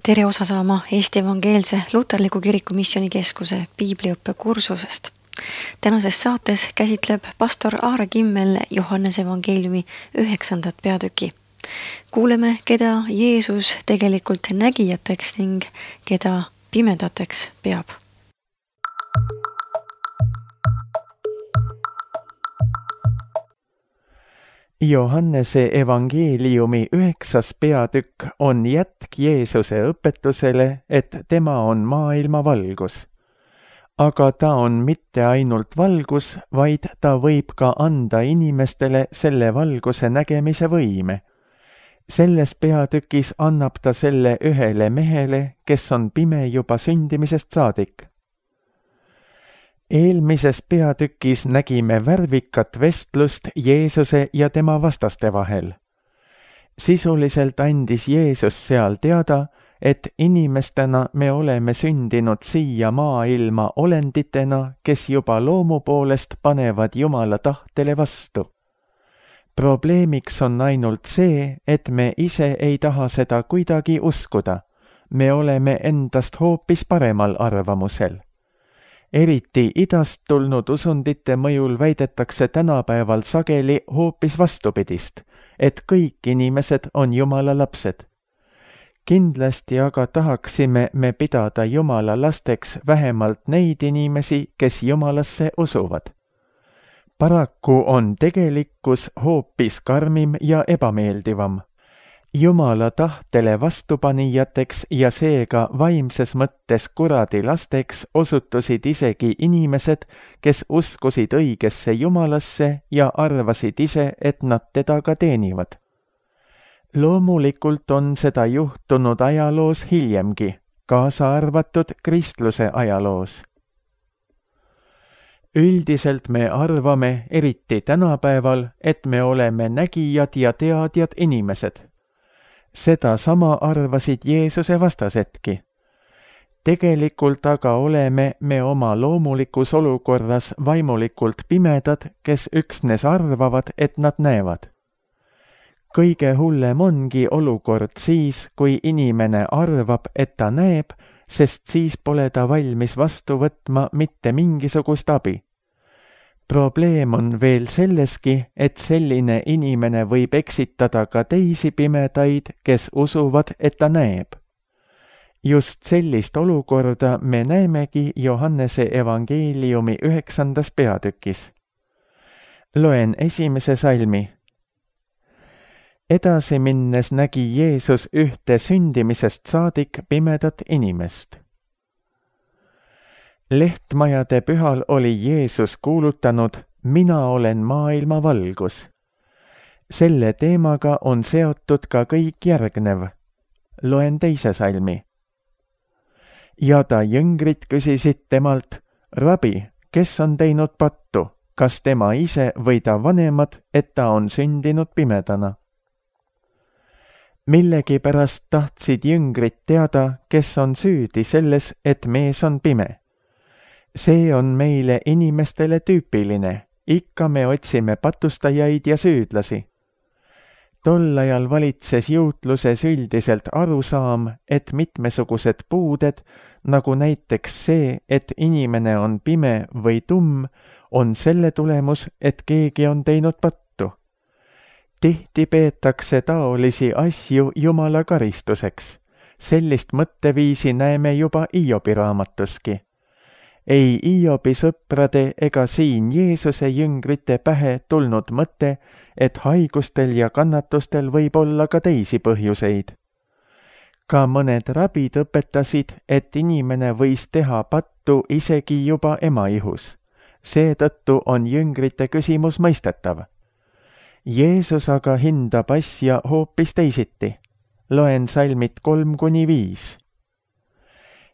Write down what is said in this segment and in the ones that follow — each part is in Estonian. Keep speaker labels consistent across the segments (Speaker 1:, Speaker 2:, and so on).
Speaker 1: Tere osa saama Eesti Evangeelse Luterliku Kiriku Missioonikeskuse piibliõppe kursusest. Tänases saates käsitleb pastor Aare Kimmel Johannese evangeeliumi 9. peatüki. Kuuleme, keda Jeesus tegelikult nägijateks ning keda pimedateks peab.
Speaker 2: Johannese evangeeliumi 9. peatükk on jätk Jeesuse õpetusele, et tema on maailma valgus. Aga ta on mitte ainult valgus, vaid ta võib ka anda inimestele selle valguse nägemise võime. Selles peatükis annab ta selle ühele mehele, kes on pime juba sündimisest saadik. Eelmises peatükis nägime värvikat vestlust Jeesuse ja tema vastaste vahel. Sisuliselt andis Jeesus seal teada, et inimestena me oleme sündinud siia maailma olenditena, kes juba loomu poolest panevad Jumala tahtele vastu. Probleemiks on ainult see, et me ise ei taha seda kuidagi uskuda. Me oleme endast hoopis paremal arvamusel. Eriti idast tulnud usundite mõjul väidetakse tänapäeval sageli hoopis vastupidist, et kõik inimesed on Jumala lapsed. Kindlasti aga tahaksime me pidada Jumala lasteks vähemalt neid inimesi, kes Jumalasse usuvad. Paraku on tegelikkus hoopis karmim ja ebameeldivam. Jumala tahtele vastupanijateks ja seega vaimses mõttes kuradi lasteks osutusid isegi inimesed, kes uskusid õigesse Jumalasse ja arvasid ise, et nad teda ka teenivad. Loomulikult on seda juhtunud ajaloos hiljemgi, kaasa arvatud kristluse ajaloos. Üldiselt me arvame, eriti tänapäeval, et me oleme nägijad ja teadjad inimesed. Seda sama arvasid Jeesuse vastasedki. Tegelikult aga oleme me oma loomulikus olukorras vaimulikult pimedad, kes üksnes arvavad, et nad näevad. Kõige hullem ongi olukord siis, kui inimene arvab, et ta näeb, sest siis pole ta valmis vastu võtma mitte mingisugust abi. Probleem on veel selleski, et selline inimene võib eksitada ka teisi pimedaid, kes usuvad, et ta näeb. Just sellist olukorda me näemegi Johannese evangeeliumi 9. peatükis. Loen 1. salmi. Edasi minnes nägi Jeesus ühte sündimisest saadik pimedat inimest. Lehtmajade pühal oli Jeesus kuulutanud, mina olen maailma valgus. Selle teemaga on seotud ka kõik järgnev. Loen 2. salmi. Ja ta jüngrid küsisid temalt, rabi, kes on teinud pattu, kas tema ise või ta vanemad, et ta on sündinud pimedana? Millegipärast tahtsid jüngrid teada, kes on süüdi selles, et mees on pime. See on meile inimestele tüüpiline, ikka me otsime patustajaid ja süüdlasi. Tol ajal valitses juutluses üldiselt arusaam, et mitmesugused puuded, nagu näiteks see, et inimene on pime või tumm, on selle tulemus, et keegi on teinud pattu. Tihti peetakse taolisi asju Jumala karistuseks. Sellist mõtteviisi näeme juba Hiobi raamatuski. Ei Hiobi sõprade ega siin Jeesuse jüngrite pähe tulnud mõte, et haigustel ja kannatustel võib olla ka teisi põhjuseid. Ka mõned rabid õpetasid, et inimene võis teha pattu isegi juba ema ihus. Seetõttu on jüngrite küsimus mõistetav. Jeesus aga hindab asja hoopis teisiti. Loen salmid 3-5.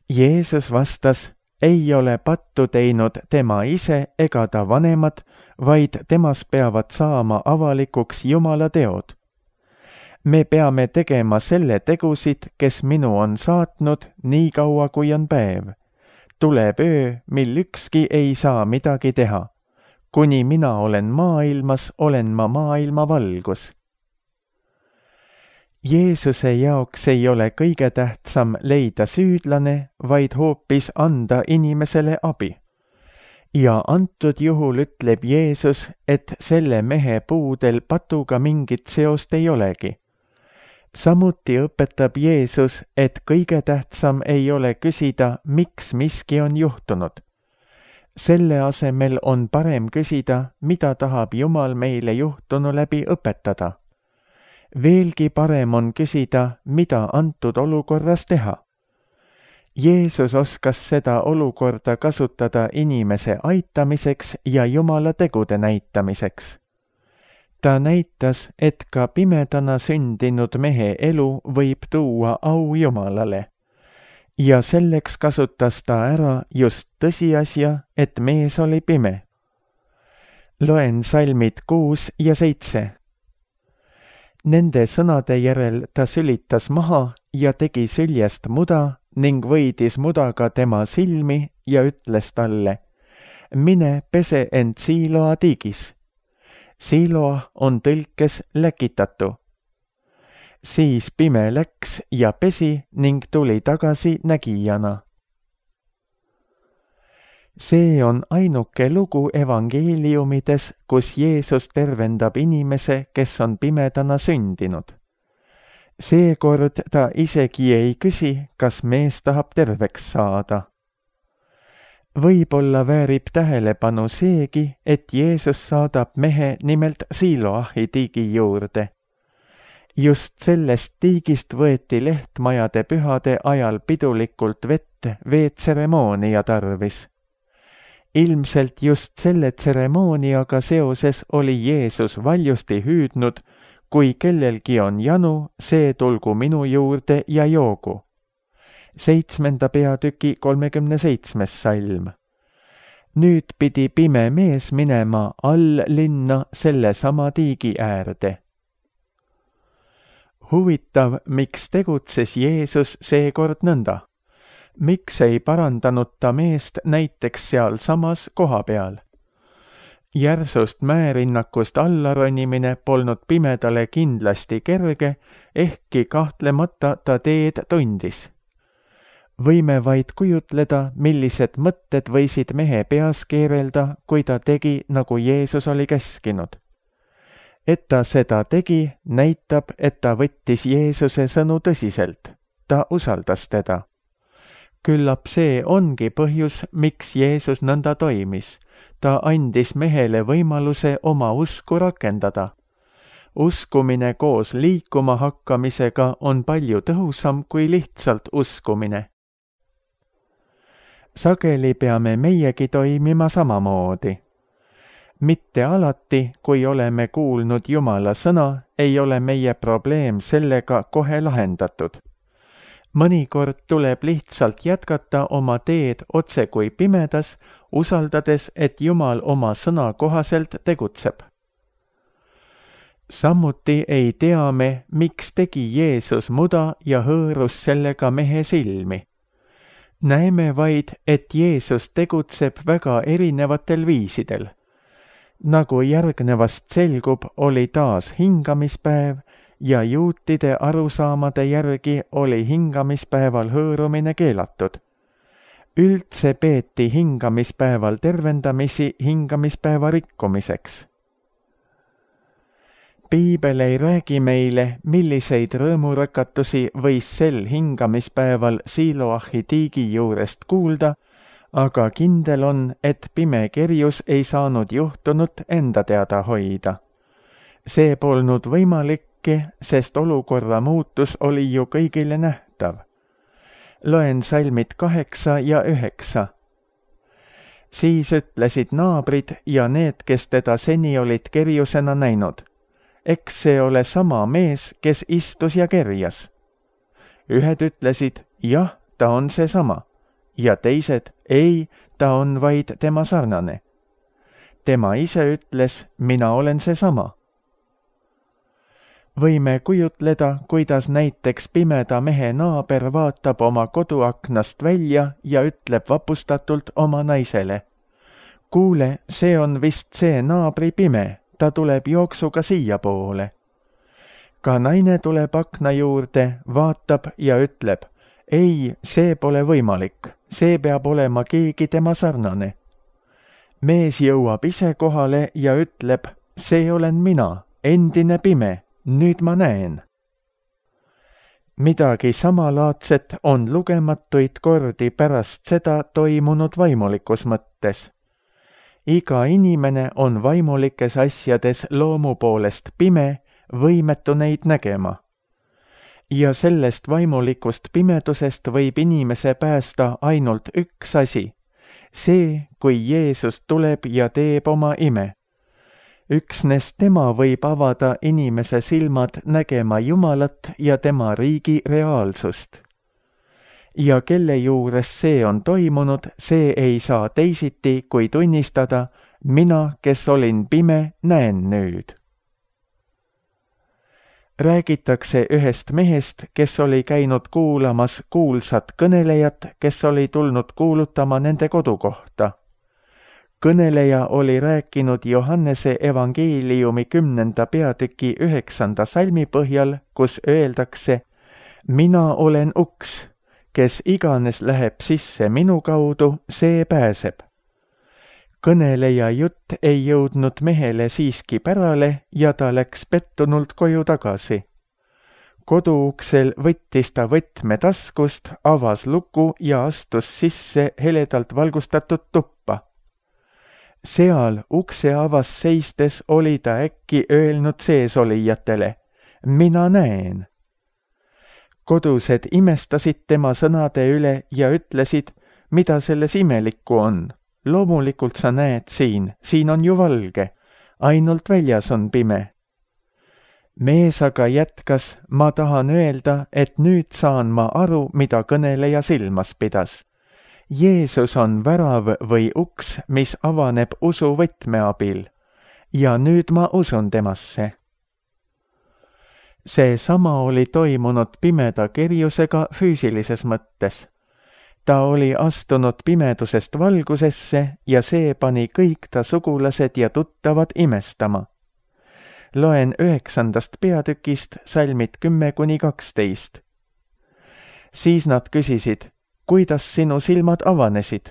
Speaker 2: Jeesus vastas, ei ole pattu teinud tema ise ega ta vanemad, vaid temas peavad saama avalikuks Jumala teod. Me peame tegema selle tegusid, kes minu on saatnud, nii kaua kui on päev. Tuleb öö, mil ükski ei saa midagi teha. Kuni mina olen maailmas, olen ma maailma valgus. Jeesuse jaoks ei ole kõige tähtsam leida süüdlane, vaid hoopis anda inimesele abi. Ja antud juhul ütleb Jeesus, et selle mehe puudel patuga mingit seost ei olegi. Samuti õpetab Jeesus, et kõige tähtsam ei ole küsida, miks miski on juhtunud. Selle asemel on parem küsida, mida tahab Jumal meile juhtunu läbi õpetada. Veelgi parem on küsida, mida antud olukorras teha. Jeesus oskas seda olukorda kasutada inimese aitamiseks ja Jumala tegude näitamiseks. Ta näitas, et ka pimedana sündinud mehe elu võib tuua au Jumalale. Ja selleks kasutas ta ära just tõsiasja, et mees oli pime. Loen salmid 6 ja 7. Nende sõnade järel ta sülitas maha ja tegi süljest muda ning võidis mudaga tema silmi ja ütles talle, mine pese end Siiloa tiigis. Siiloa on tõlkes läkitatu. Siis pime läks ja pesi ning tuli tagasi nägijana. See on ainuke lugu evangeeliumides, kus Jeesus tervendab inimese, kes on pimedana sündinud. Seekord ta isegi ei küsi, kas mees tahab terveks saada. Võib-olla väärib tähelepanu seegi, et Jeesus saadab mehe nimelt Siiloahi tiigi juurde. Just sellest tiigist võeti lehtmajade pühade ajal pidulikult vett veetseremoonia tarvis. Ilmselt just selle tseremooniaga seoses oli Jeesus valjusti hüüdnud, kui kellelgi on janu, see tulgu minu juurde ja joogu. 7. peatüki 37. salm. Nüüd pidi pime mees minema all linna sellesama tiigi äärde. Huvitav, miks tegutses Jeesus seekord nõnda? Miks ei parandanud ta meest näiteks sealsamas koha peal? Järsust mäerinnakust allaronimine polnud pimedale kindlasti kerge, ehkki kahtlemata ta teed tundis. Võime vaid kujutleda, millised mõtted võisid mehe peas keerelda, kui ta tegi, nagu Jeesus oli käskinud. Et ta seda tegi, näitab, et ta võttis Jeesuse sõnu tõsiselt. Ta usaldas teda. Küllap see ongi põhjus, miks Jeesus nõnda toimis. Ta andis mehele võimaluse oma usku rakendada. Uskumine koos liikuma hakkamisega on palju tõhusam kui lihtsalt uskumine. Sageli peame meiegi toimima samamoodi. Mitte alati, kui oleme kuulnud Jumala sõna, ei ole meie probleem sellega kohe lahendatud. Mõnikord tuleb lihtsalt jätkata oma teed otse kui pimedas, usaldades, et Jumal oma sõna kohaselt tegutseb. Samuti ei tea me, miks tegi Jeesus muda ja hõõrus sellega mehe silmi. Näeme vaid, et Jeesus tegutseb väga erinevatel viisidel. Nagu järgnevast selgub, oli taas hingamispäev, ja juutide arusaamade järgi oli hingamispäeval hõõrumine keelatud. Üldse peeti hingamispäeval tervendamisi hingamispäeva rikkumiseks. Piibel ei räägi meile, milliseid rõõmurakatusi võis sel hingamispäeval Siiloahi tiigi juurest kuulda, aga kindel on, et pime kerjus ei saanud juhtunut enda teada hoida. See polnud võimalik, sest olukorra muutus oli ju kõigile nähtav. Loen salmid 8 ja 9. Siis ütlesid naabrid ja need, kes teda seni olid kerjusena näinud. Eks see ole sama mees, kes istus ja kerjas. Ühed ütlesid, jah, ta on seesama. Ja teised, ei, ta on vaid tema sarnane. Tema ise ütles, mina olen seesama. Võime kujutleda, kuidas näiteks pimeda mehe naaber vaatab oma koduaknast välja ja ütleb vapustatult oma naisele. Kuule, see on vist see naabri pime, ta tuleb jooksuga siia poole. ka naine tuleb akna juurde, vaatab ja ütleb, ei, see pole võimalik, see peab olema keegi tema sarnane. Mees jõuab ise kohale ja ütleb, see olen mina, endine pime, nüüd ma näen. Midagi samalaadset on lugematuid kordi pärast seda toimunud vaimulikus mõttes. Iga inimene on vaimulikes asjades loomu poolest pime, võimetu neid nägema. Ja sellest vaimulikust pimedusest võib inimese päästa ainult üks asi. See, kui Jeesus tuleb ja teeb oma ime. Üksnes tema võib avada inimese silmad nägema Jumalat ja tema riigi reaalsust. Ja kelle juures see on toimunud, see ei saa teisiti, kui tunnistada, mina, kes olin pime, näen nüüd. Räägitakse ühest mehest, kes oli käinud kuulamas kuulsat kõnelejat, kes oli tulnud kuulutama nende kodukohta. Kõneleja oli rääkinud Johannese evangeeliumi 10. peatüki 9. salmi põhjal, kus öeldakse, mina olen uks, kes iganes läheb sisse minu kaudu, see pääseb. Kõneleja jutt ei jõudnud mehele siiski pärale ja ta läks pettunult koju tagasi. Koduuksel võttis ta võtme taskust, avas luku ja astus sisse heledalt valgustatud tuppa. Seal ukse avas seistes oli ta äkki öelnud seesolijatele, mina näen. Kodused imestasid tema sõnade üle ja ütlesid, mida selles imelikku on. Loomulikult sa näed siin on ju valge, ainult väljas on pime. Mees aga jätkas, ma tahan öelda, et nüüd saan ma aru, mida kõneleja silmas pidas. Jeesus on värav või uks, mis avaneb usu võtme abil. Ja nüüd ma usun temasse. See sama oli toimunud pimeda kerjusega füüsilises mõttes. Ta oli astunud pimedusest valgusesse ja see pani kõik ta sugulased ja tuttavad imestama. Loen 9. peatükist salmid 10-12. Siis nad küsisid, kuidas sinu silmad avanesid?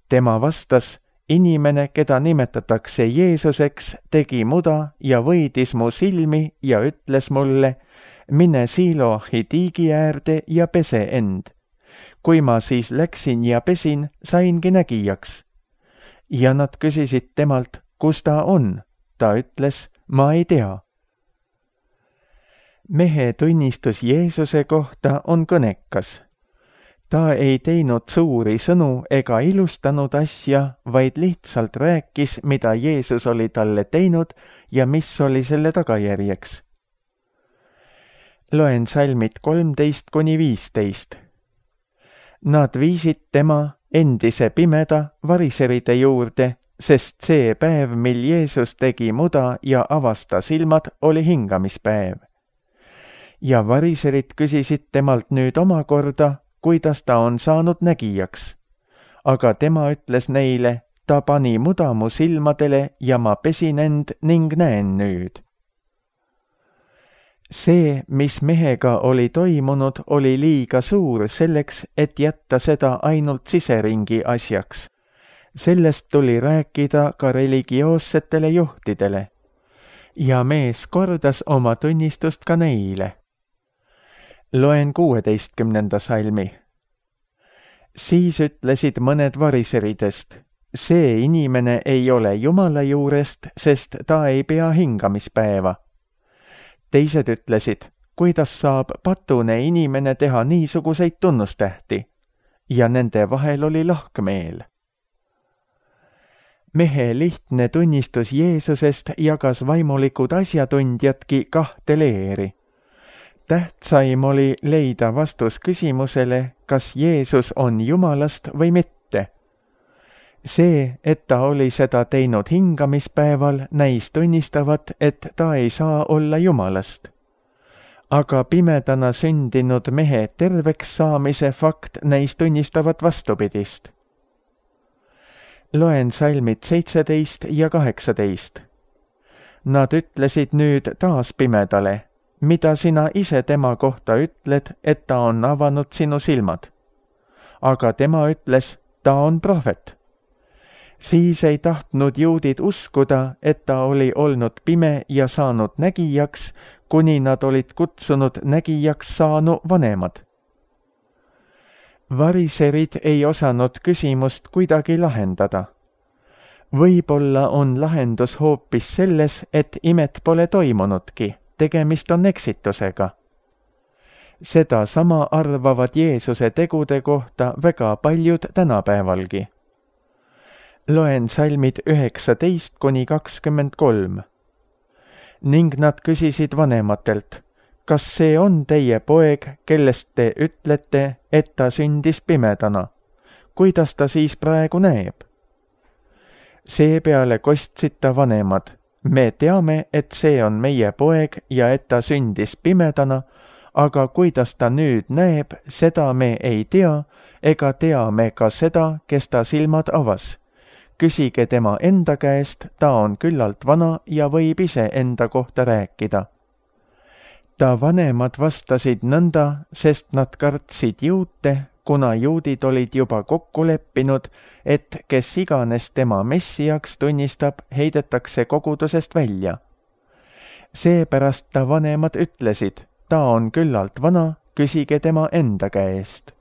Speaker 2: Tema vastas, inimene, keda nimetatakse Jeesuseks, tegi muda ja võidis mu silmi ja ütles mulle, mine Siloahi tiigi äärde ja pese end. Kui ma siis läksin ja pesin, saingi nägijaks. Ja nad küsisid temalt, kus ta on? Ta ütles, ma ei tea. Mehe tunnistus Jeesuse kohta on kõnekas. Ta ei teinud suuri sõnu ega ilustanud asja, vaid lihtsalt rääkis, mida Jeesus oli talle teinud ja mis oli selle tagajärjeks. Loen salmid 13-15. Nad viisid tema, endise pimeda, variseride juurde, sest see päev, mil Jeesus tegi muda ja avasta silmad, oli hingamispäev. Ja variserid küsisid temalt nüüd omakorda, kuidas ta on saanud nägijaks. Aga tema ütles neile, ta pani muda mu silmadele ja ma pesin end ning näen nüüd. See, mis mehega oli toimunud, oli liiga suur selleks, et jätta seda ainult siseringi asjaks. Sellest tuli rääkida ka religioossetele juhtidele. Ja mees kordas oma tunnistust ka neile. Loen 16. salmi. Siis ütlesid mõned variseridest, see inimene ei ole Jumala juurest, sest ta ei pea hingamispäeva. Teised ütlesid, kuidas saab patune inimene teha niisuguseid tunnustähti, ja nende vahel oli lahkmeel. Mehe lihtne tunnistus Jeesusest jagas vaimulikud asjatundjadki kahte leeri. Tähtsaim oli leida vastus küsimusele, kas Jeesus on Jumalast või mitte. See, et ta oli seda teinud hingamispäeval, näis tunnistavat, et ta ei saa olla Jumalast. Aga pimedana sündinud mehe terveks saamise fakt näis tunnistavat vastupidist. Loen salmid 17 ja 18. Nad ütlesid nüüd taas pimedale, mida sina ise tema kohta ütled, et ta on avanud sinu silmad? Aga tema ütles, ta on prohvet. Siis ei tahtnud juudid uskuda, et ta oli olnud pime ja saanud nägijaks, kuni nad olid kutsunud nägijaks saanu vanemad. Variserid ei osanud küsimust kuidagi lahendada. Võib-olla on lahendus hoopis selles, et imet pole toimunudki, tegemist on eksitusega. Seda sama arvavad Jeesuse tegude kohta väga paljud tänapäevalgi. Loen salmid 19-23. Ning nad küsisid vanematelt, kas see on teie poeg, kellest te ütlete, et ta sündis pimedana? Kuidas ta siis praegu näeb? Seepeale kostsid ta vanemad. Me teame, et see on meie poeg ja et ta sündis pimedana, aga kuidas ta nüüd näeb, seda me ei tea, ega tea me ka seda, kes ta silmad avas. Küsige tema enda käest, ta on küllalt vana ja võib ise enda kohta rääkida. Ta vanemad vastasid nõnda, sest nad kartsid juute, kuna juudid olid juba kokku leppinud, et kes iganes tema messiaks tunnistab, heidetakse kogudusest välja. Seepärast ta vanemad ütlesid, ta on küllalt vana, küsige tema enda käest.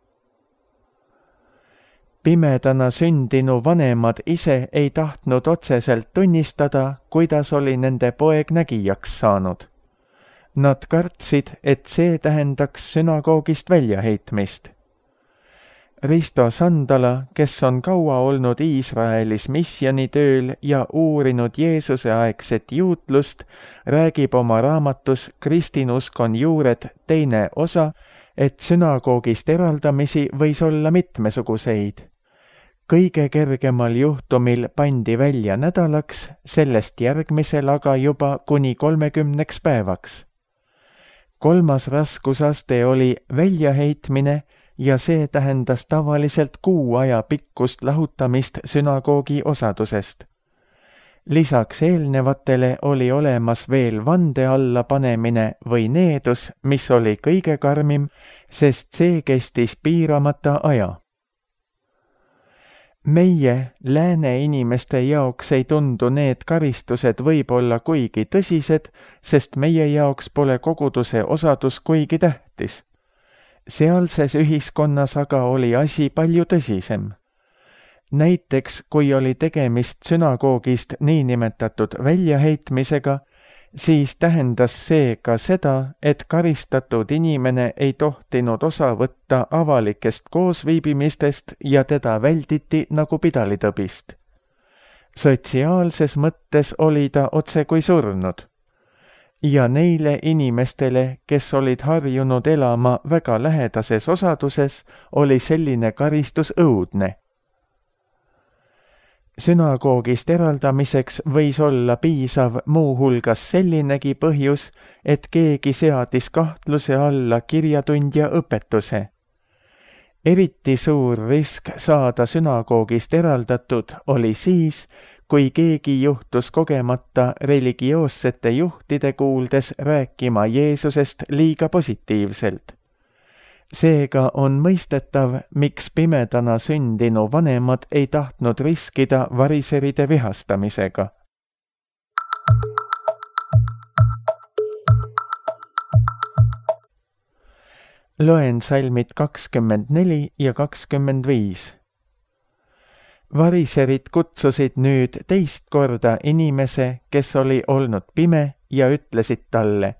Speaker 2: Pimedana sündinu vanemad ise ei tahtnud otseselt tunnistada, kuidas oli nende poeg nägijaks saanud. Nad kartsid, et see tähendaks sünagoogist väljaheitmist. Risto Sandala, kes on kaua olnud Iisraelis missionitööl ja uurinud Jeesuse aegset juutlust, räägib oma raamatus Kristinuskon juured 2. osa, et sünagoogist eraldamisi võis olla mitmesuguseid. Kõige kergemal juhtumil pandi välja nädalaks, sellest järgmisel aga juba kuni 30 päevaks. 3. raskusaste oli väljaheitmine ja see tähendas tavaliselt 6 aja pikkust lahutamist sünagoogi osadusest. Lisaks eelnevatele oli olemas veel vande alla panemine või needus, mis oli kõige karmim, sest see kestis piiramata aja. Meie, lääne inimeste jaoks ei tundu need karistused võib-olla kuigi tõsised, sest meie jaoks pole koguduse osadus kuigi tähtis. Sealses ühiskonnas aga oli asi palju tõsisem. Näiteks, kui oli tegemist sünagoogist niinimetatud väljaheitmisega, siis tähendas see ka seda, et karistatud inimene ei tohtinud osa võtta avalikest koosviibimistest ja teda välditi nagu pidalitõbist. Sotsiaalses mõttes oli ta otse kui surnud. Ja neile inimestele, kes olid harjunud elama väga lähedases osaduses, oli selline karistus õudne. Sünagoogist eraldamiseks võis olla piisav muuhulgas sellinegi põhjus, et keegi seadis kahtluse alla kirjatundja õpetuse. Eriti suur risk saada sünagoogist eraldatud oli siis, kui keegi juhtus kogemata religioossete juhtide kuuldes rääkima Jeesusest liiga positiivselt. Seega on mõistetav, miks pimedana sündinu vanemad ei tahtnud riskida variseride vihastamisega. Loen salmid 24 ja 25. Variserid kutsusid nüüd teist korda inimese, kes oli olnud pime, ja ütlesid talle,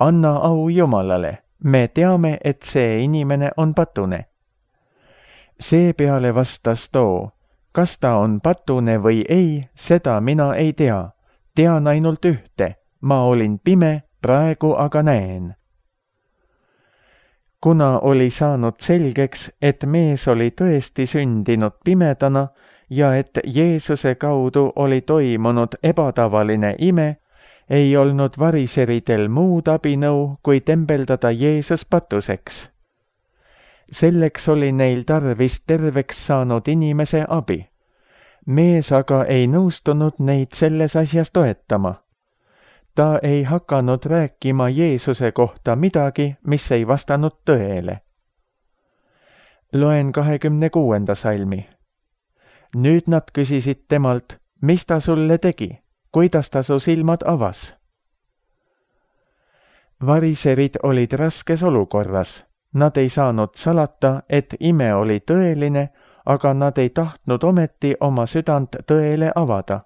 Speaker 2: anna au Jumalale. Me teame, et see inimene on patune. Seepeale vastas too, kas ta on patune või ei, seda mina ei tea. Tean ainult ühte, ma olin pime, praegu aga näen. Kuna oli saanud selgeks, et mees oli tõesti sündinud pimedana ja et Jeesuse kaudu oli toimunud ebatavaline ime, ei olnud variseridel muud abinõu, kui tembeldada Jeesus patuseks. Selleks oli neil tarvis terveks saanud inimese abi. Mees aga ei nõustunud neid selles asjas toetama. ta ei hakanud rääkima Jeesuse kohta midagi, mis ei vastanud tõele. Loen 26. salmi. Nüüd nad küsisid temalt, mis ta sulle tegi, kuidas ta su silmad avas. Variserid olid raskes olukorras. Nad ei saanud salata, et ime oli tõeline, aga nad ei tahtnud ometi oma südant tõele avada.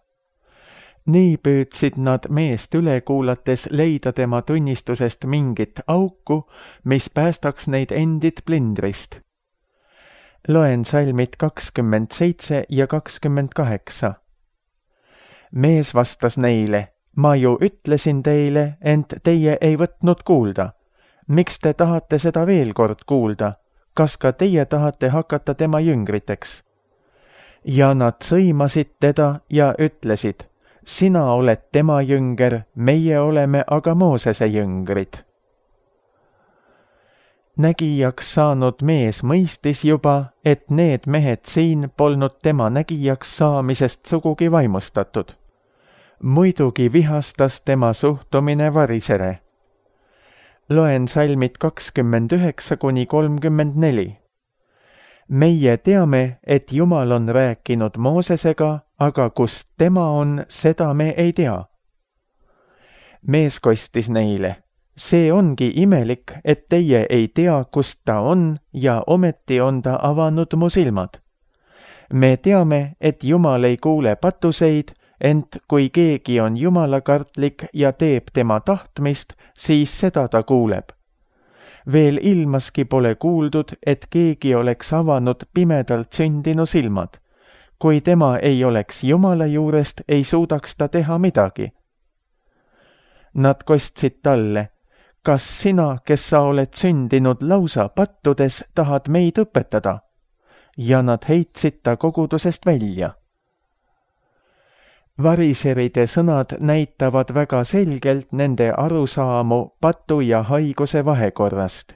Speaker 2: Nii püüdsid nad meest üle kuulates leida tema tunnistusest mingit auku, mis päästaks neid endid plindrist. Loen salmid 27 ja 28. Mees vastas neile, ma ju ütlesin teile, ent teie ei võtnud kuulda. Miks te tahate seda veel kord kuulda? Kas ka teie tahate hakata tema jüngriteks? Ja nad sõimasid teda ja ütlesid, sina oled tema jünger, meie oleme aga Moosese jüngrid. Nägijaks saanud mees mõistis juba, et need mehed siin polnud tema nägijaks saamisest sugugi vaimustatud. Muidugi vihastas tema suhtumine varisere. Loen salmid 29–34. Meie teame, et Jumal on rääkinud Moosesega, aga kust tema on, seda me ei tea. Mees kostis neile, see ongi imelik, et teie ei tea, kust ta on ja ometi on ta avanud mu silmad. Me teame, et Jumal ei kuule patuseid, ent kui keegi on jumalakartlik ja teeb tema tahtmist, siis seda ta kuuleb. Veel ilmaski pole kuuldud, et keegi oleks avanud pimedalt sündinu silmad. Kui tema ei oleks Jumala juurest, ei suudaks ta teha midagi. Nad kostsid talle, kas sina, kes sa oled sündinud lausa pattudes, tahad meid õpetada? Ja nad heitsid ta kogudusest välja. Variseride sõnad näitavad väga selgelt nende arusaamu patu ja haiguse vahekorrast.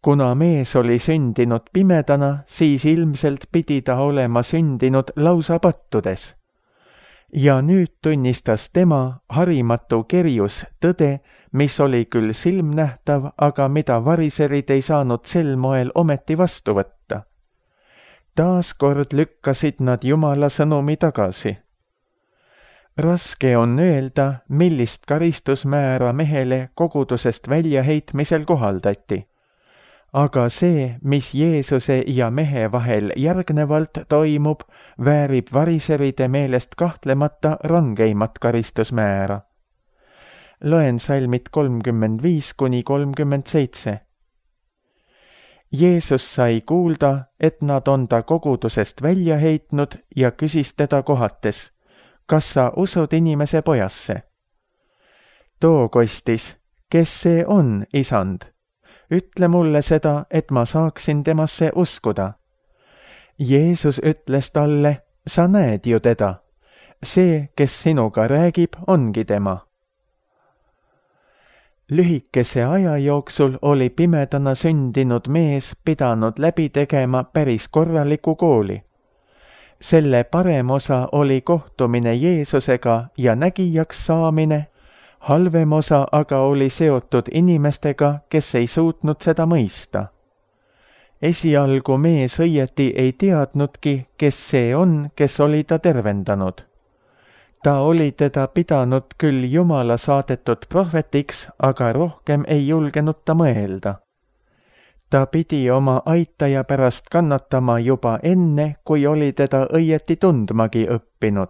Speaker 2: Kuna mees oli sündinud pimedana, siis ilmselt pidi ta olema sündinud lausa pattudes. Ja nüüd tunnistas tema harimatu kerjus tõde, mis oli küll silmnähtav, aga mida variserid ei saanud sel moel ometi vastu võtta. Taas kord lükkasid nad Jumala sõnumi tagasi. Raske on öelda, millist karistusmäära mehele kogudusest väljaheitmisel kohaldati. Aga see, mis Jeesuse ja mehe vahel järgnevalt toimub, väärib variseride meelest kahtlemata rangeimat karistusmäära. Loen salmid 35–37. Jeesus sai kuulda, et nad on ta kogudusest välja heitnud ja küsis teda kohates, kas sa usud inimese pojasse? Too kostis, kes see on, isand? Ütle mulle seda, et ma saaksin temasse uskuda. Jeesus ütles talle, sa näed ju teda. See, kes sinuga räägib, ongi tema. Lühikese aja jooksul oli pimedana sündinud mees pidanud läbi tegema päris korraliku kooli. Selle parem osa oli kohtumine Jeesusega ja nägijaks saamine, halvem osa aga oli seotud inimestega, kes ei suutnud seda mõista. Esialgu mees õieti ei teadnudki, kes see on, kes oli ta tervendanud. Ta oli teda pidanud küll Jumala saadetud prohvetiks, aga rohkem ei julgenud ta mõelda. Ta pidi oma aitaja pärast kannatama juba enne, kui oli teda õieti tundmagi õppinud.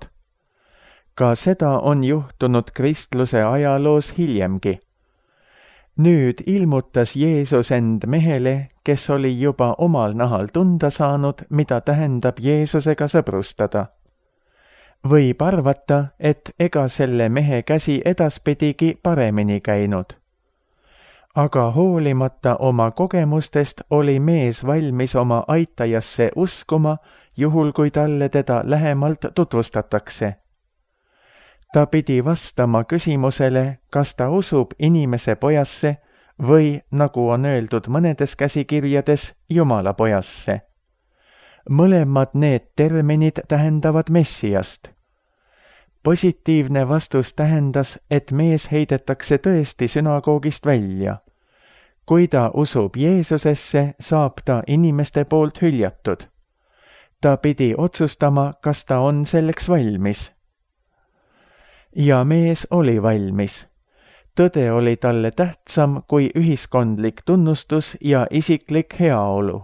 Speaker 2: Ka seda on juhtunud kristluse ajaloos hiljemgi. Nüüd ilmutas Jeesus end mehele, kes oli juba omal nahal tunda saanud, mida tähendab Jeesusega sõbrustada. Võib arvata, et ega selle mehe käsi edaspidigi paremini käinud. Aga hoolimata oma kogemustest oli mees valmis oma aitajasse uskuma, juhul kui talle teda lähemalt tutvustatakse. Ta pidi vastama küsimusele, kas ta usub inimese pojasse või, nagu on öeldud mõnedes käsikirjades, Jumala pojasse. Mõlemad need terminid tähendavad Messiast. Positiivne vastus tähendas, et mees heidetakse tõesti sünagoogist välja. Kui ta usub Jeesusesse, saab ta inimeste poolt hüljatud. Ta pidi otsustama, kas ta on selleks valmis. Ja mees oli valmis. Tõde oli talle tähtsam kui ühiskondlik tunnustus ja isiklik heaolu.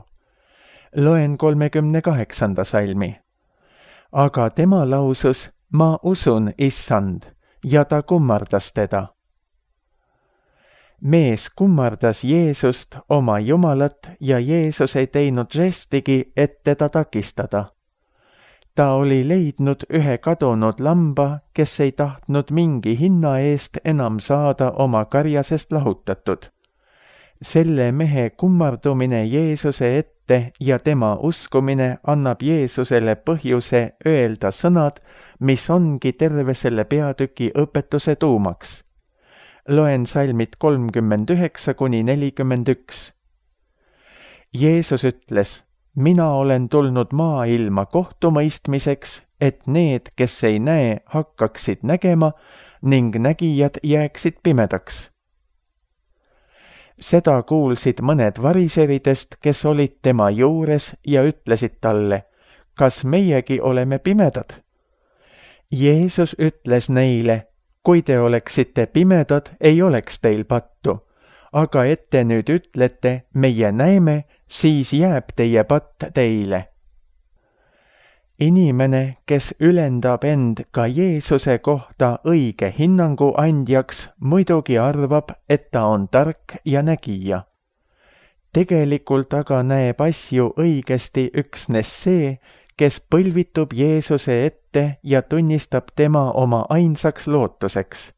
Speaker 2: Loen 38. salmi. Aga tema lausus, ma usun, issand, ja ta kummardas teda. Mees kummardas Jeesust, oma Jumalat, ja Jeesus ei teinud žestigi, et teda takistada. Ta oli leidnud ühe kadunud lamba, kes ei tahtnud mingi hinna eest enam saada oma karjasest lahutatud. Selle mehe kummardumine Jeesuse ette ja tema uskumine annab Jeesusele põhjuse öelda sõnad, mis ongi terve selle peatüki õpetuse tuumaks. Loen salmid 39–41. Jeesus ütles, mina olen tulnud maailma kohtumõistmiseks, et need, kes ei näe, hakkaksid nägema ning nägijad jääksid pimedaks. Seda kuulsid mõned variseridest, kes olid tema juures ja ütlesid talle, kas meiegi oleme pimedad? Jeesus ütles neile, kui te oleksite pimedad, ei oleks teil pattu, aga et te nüüd ütlete, meie näeme, siis jääb teie patt teile. Inimene, kes ülendab end ka Jeesuse kohta õige hinnangu andjaks, muidugi arvab, et ta on tark ja nägija. Tegelikult aga näeb asju õigesti üksnes see, kes põlvitub Jeesuse ette ja tunnistab tema oma ainsaks lootuseks.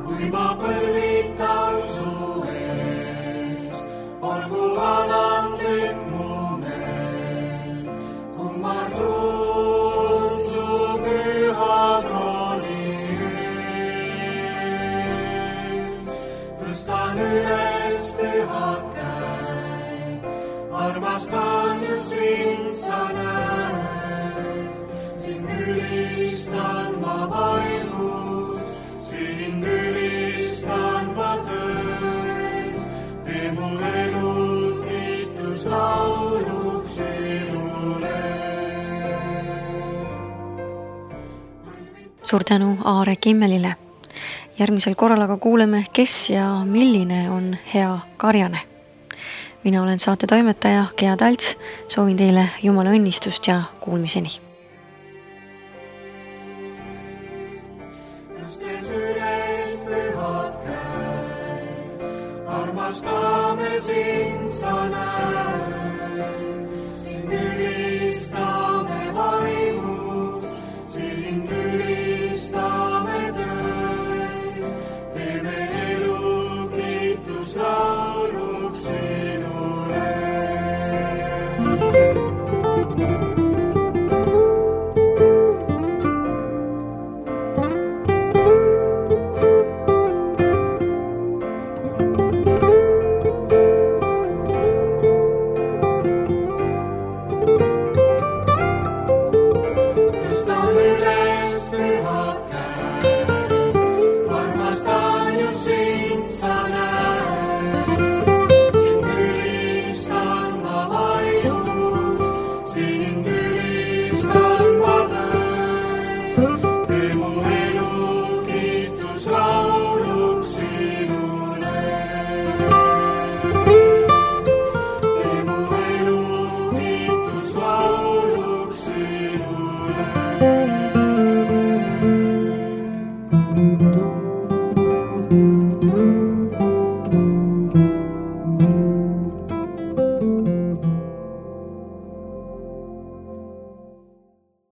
Speaker 3: Kui ma põlvitan su ees, olgu alandlik mu meel, kummardun su püha trooni ees. Tõstan üles pühad käed, armastan just sind sa näed. Sind ülistan ma vaimus, sind ülistan ma töös. Tee mu elu kiituslauluks sinule.
Speaker 1: Suur tänu Aare Kimmelile. Järgmisel korral aga kuuleme, kes ja milline on hea karjane. Mina olen saate toimetaja Gea Talts, soovin teile Jumala õnnistust ja kuulmiseni.
Speaker 3: Tõstes üles pühad käed, armastame sind sa näed.